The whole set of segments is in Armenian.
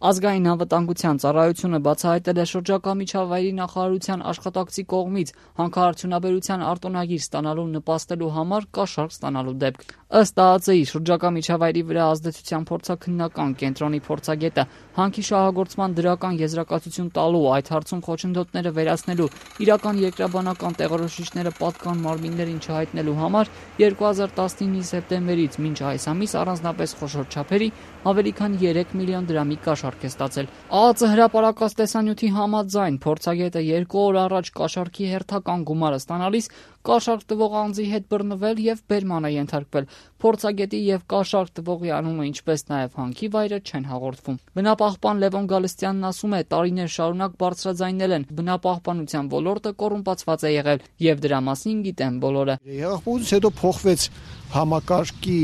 Ազգային անվտանգության ծառայությունը բացահայտել է շրջակա միջավայրի նախարարության աշխատակցի կողմից հանքարդյունաբերության արտոնագիր ստանալու նպաստելու համար կաշառք ստանալու դեպք։ Ըստ ԱԱԾ-ի շրջակա միջավայրի վրա ազդեցության փորձաքննական կենտրոնի փորձագետը հանքի շահագործման դրական եզրակացություն տալու, այդ հարցում խոչընդոտները վերացնելու, իրական երկրաբանական տեղորոշիչները պատկան մարմիններին չհայտնելու համար 2019-ի սեպտեմբերից մինչ այս ամիս առանձնապես խոշոր չափերի ավելի քան 3 միլիոն դրամի կաշառք է ստացել։ ԱԱԾ հրապարակած տեսանյութի համաձայն փորձագետը 2 օր առաջ կաշառքի հերթական գումարը ստանալիս կաշառք տվող անձի հետ բռնվել եւ բերման է ենթարկվել։ Փորձագետի եւ կաշառք տվողի անունը, ինչպես նաեւ հանքի վայրը չեն հաղորդվում։ Բնապահպան Լևոն Գալստյանն ասում է, տարիներ շարունակ բարձրաձայնել են, բնապահպանության ոլորտը կոռումպացված է եղել եւ դրա մասին գիտեն բոլորը։ Հեղափոխությունից հետո փոխվեց համակարգի,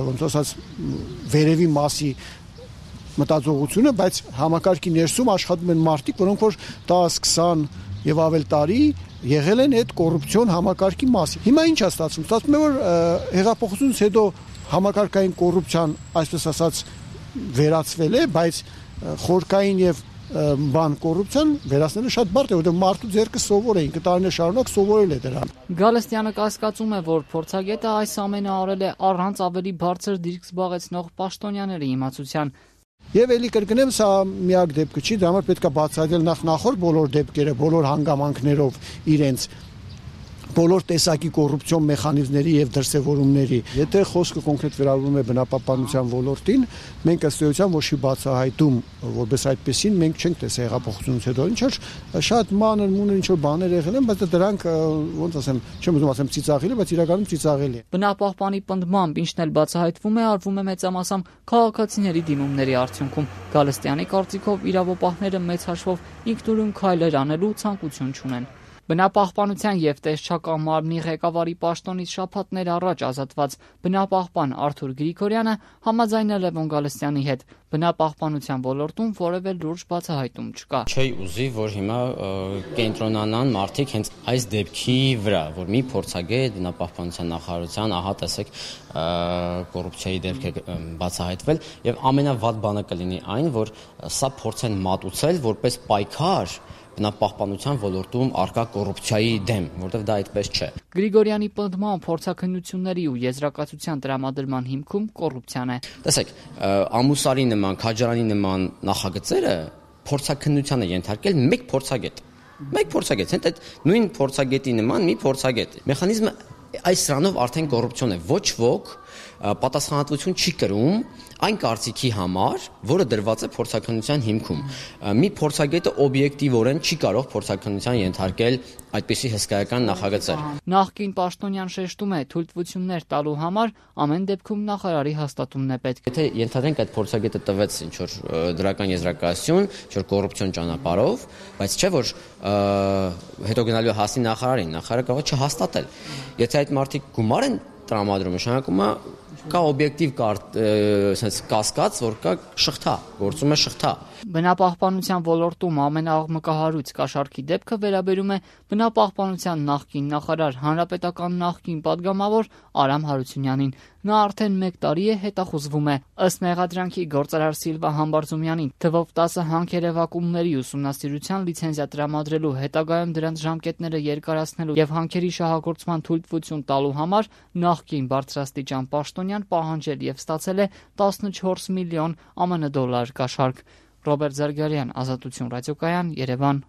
ոնց ասած, վերևի մասի մտածողությունը, բայց համակարգի ներսում աշխատում են մարդիկ, որոնք որ 10-20 եւ ավել տարի եղել են այդ կոռուպցիոն համակարգի մասի։ Հիմա ինչ է ստացվում։ Ստացվում է, որ հեղափոխությունից հետո համակարգային կոռուպցիան, այսպես ասած, վերացվել է, բայց խորքային եւ կոռուպցիան վերացնելը շատ բարդ է, որովհետեւ մարդու ձեռքը սովոր էին, տարիներ շարունակ սովորել է դրան։ Գալստյանը կասկածում է, որ փորձագետը այս ամենը արել է առանց ավելի բարձր դիրք զբաղեցնող պաշտոնյաների իմացության։ Եվ էլի կրկնեմ, սա միակ դեպքը չի, դա համար պետք է բացահայտել նախորդ բոլոր դեպքերը, բոլոր հանգամանքներով իրենց բոլոր տեսակի կոռուպցիոն մեխանիզմների եւ դրսեւորումների։ Եթե խոսքը կոնկրետ վերաբերում է բնապահպանության ոլորտին, մենք ըստ էության ոչ մի բացահայտում, որպես այդպեսին մենք չենք տեսել հեղափոխությունից հետո։ Ինչ որ շատ մանր-մունր ինչ որ բաներ եղել են, բայց դրանք ոնց ասեմ, չեմ ուզում ասեմ ծիծաղելի, բայց իրականում ծիծաղելի է։ Բնապահպանի պնդմամբ ինչն էլ բացահայտվում է, արվում է մեծամասամբ քաղաքացիների դիմումների արդյունքում։ Գալստյանի կարծիքով իրավապահները մեծ հաշվով ինքնուրույն քայլեր անելու ցանկություն չունեն։ Բնապահպանության եւ տեսչական մարմնի ղեկավարի պաշտոնից շաբաթներ առաջ ազատված բնապահպան Արթուր Գրիգորյանը համաձայն է Լևոն Գալստյանի հետ։ Բնապահպանության ոլորտում որևէ լուրջ բացահայտում չկա։ Չի ուզի, որ հիմա կենտրոնանան մարդիկ հենց այս դեպքի վրա, որ մի փորձագետ բնապահպանության նախարարության, ահա տեսեք, կոռուպցիայի դեպք է բացահայտվել եւ ամենավատ բանը կլինի այն, որ սա փորձեն մատուցել որպես պայքար բնապահպանության ոլորտում արկա կոռուպցիայի դեմ, որտեղ դա այդպես չէ։ Գրիգորյանի պնդման փորձաքննությունների ու եզրակացության տրամադրման հիմքում կոռուպցիան է։ Տեսեք, ամուսարի նման, քաջարանի նման նախագծերը փորձաքննության է ենթարկել մեկ փորձագետ։ Մեկ փորձագետ, հենց այդ նույն փորձագետի նման մի փորձագետ։ Մեխանիզմը այս սրանով արդեն կոռուպցիոն է։ Ոչ ոք պատասխանատվություն չի կրում այն կարծիքի համար, որը դրված է փորձաքննության հիմքում։ Մի փորձագետը օբյեկտիվորեն չի կարող փորձաքննության ենթարկել այդպիսի հսկայական նախագծեր։ Նախկին պաշտոնյան շեշտում է, թույլտվություններ տալու համար ամեն դեպքում նախարարի հաստատումն է պետք։ Եթե ենթադրենք այդ փորձագետը տվեց ինչ որ դրական եզրակացություն, ինչ որ կոռուպցիոն ճանապարհով, բայց չէ որ հետո գնալու հասնի նախարարին, նախարարը կարող է չհաստատել։ Եթե այդ մարդիկ գումար են տրամադրում, նշանակում է կա օբյեկտիվ կասկած, որ կա շղթա, գործում է շղթա։ Բնապահպանության ոլորտում ամենաաղմկահարույց կաշառքի դեպքը վերաբերում է բնապահպանության նախկին նախարար, հանրապետական նախկին падգամավոր Արամ Հարությունյանին։ Նա արդեն 1 տարի է հետախուզվում է։ Ըստ մեղադրանքի գործարար Սիլվա Համբարձումյանին թվով 10 հանքերևակումների ուսումնասիրության լիցենզիա տրամադրելու, հետագայում դրանց ժամկետները երկարացնելու եւ հանքերի շահագործման թույլտվություն տալու համար նախկին բարձրաստիճան պաշտոնյան պահանջել եւ ստացել է 14 միլիոն ԱՄՆ դոլար կաշառք։ Ռոբերտ Զարգարյան, Ազատություն ռադիոկայան, Երևան։